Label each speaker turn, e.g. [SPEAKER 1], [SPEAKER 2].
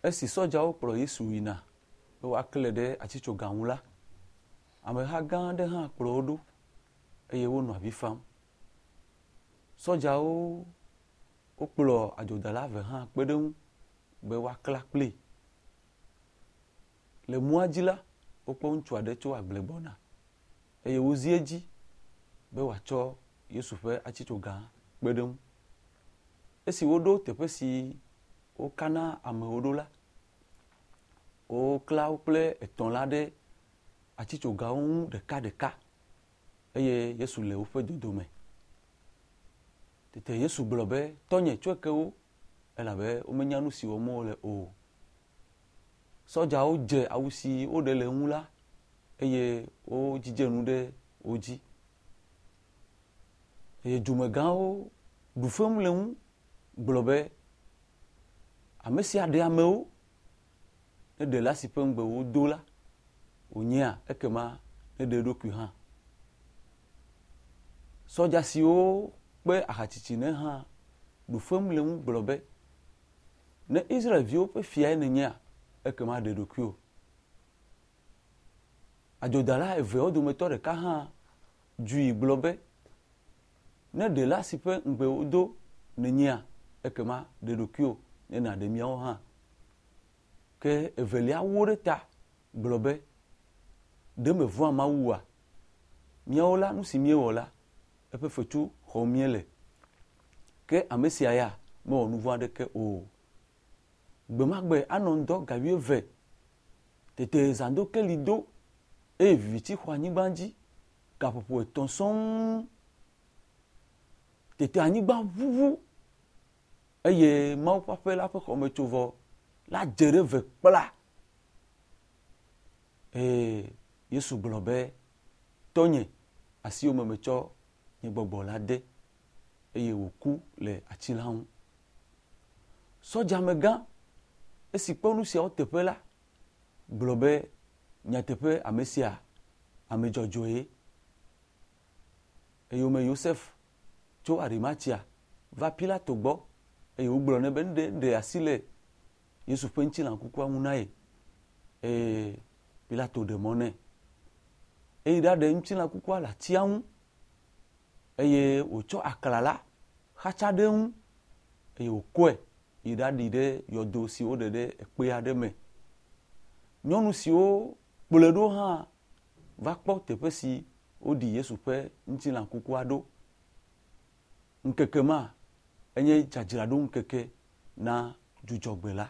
[SPEAKER 1] Esi sɔdzawo kplɔ Yesu yina be woaklãe ɖe atitsoga ŋu la, ameha gã aɖe hã kplɔ wo ɖo eye wonɔ avi fam. Sɔdzawo wokplɔ adzodala eve hã kpe ɖe eŋu be woakla kplii. Le mɔa dzi la, wokpɔ ŋutsu aɖe tso agble gbɔna eye wozi edzi be wòatsɔ Yesu ƒe atitsoga kpe ɖe eŋu. Esi woɖo teƒe si wokana amewo ɖo la, wokla wo kple etɔ̃ la ɖe atitsogawo ŋu ɖekaɖeka eye Yesu le woƒe dodome. Tete Yesu gblɔ be, Tɔnye, tsɔe ke wo, elabe womenya nu si wɔm wole o. Sɔdzawo dze awu si woɖe le eŋu la eye wodzidze nu ɖe wo dzi. Eye dumegãwo ɖu fewu le eŋu gblɔ be, Ame sia ɖe amewo, ne ɖela si ƒe ŋugbe wodo la, wònyea, ekema neɖe eɖokui hã. Sɔdza siwo kpe ahatsitsi nɛ hã ɖu fewu le eŋu gblɔ be, Ne Israel-viwo ƒe fiae nènyea, ekema ɖe ɖokuiwò. Adzodala eveawo dometɔ ɖeka hã dzui gblɔ be, Ne ɖela si ƒe ŋugbe wodo nènyea, ekema ɖe ɖokuiwò ne nàɖe míawo hã. Ke evelia wó ɖe ta gblɔ be, Ɖe mèvɔ̃a Mawu oa? Míawo la, nu si míewɔ la, eƒe fetu xɔm míele. Ke ame sia ya mewɔ nu vɔ̃ aɖeke o. Gbe ma gbe anɔ ŋdɔ ga wuieve. Tete zãdokeli do eye viviti xɔ anyigba dzi gaƒoƒo etɔ̃ sɔŋ. Tete anyigba ʋuʋu eye Mawu ƒe aƒe la ƒe xɔmetsovɔ la dze ɖe eve kpla. Eye Yesu gblɔ be, Tɔnye, asiwò me metsɔ nye gbɔgbɔ la de. Eye wòku le ati la ŋu. Sɔdzamegã, esi kpɔ nu siawo teƒe la, gblɔ be, Nyateƒe ame sia ame dzɔdzɔe. Eyome Yosef tso Arimatia va Pilato gbɔ eye wògblɔ nɛ be neɖe asi le Yesu ƒe ŋutilã kukua ŋu na ye. Eye Pilato ɖe mɔ nɛ. Eyi ɖaɖe ŋutilã kukua le atia ŋu eye wòtsɔ aklala xatsa ɖe eŋu eye wòkɔe yi ɖaɖi ɖe yɔdo si woɖe ɖe ekpe aɖe me. Nyɔnu siwo kplɔe ɖo hã va kpɔ teƒe si woɖi Yesu ƒe ŋutilã kukua ɖo. Ŋkeke ma enye dzadzraɖoŋkeke na dzudzɔgbe la.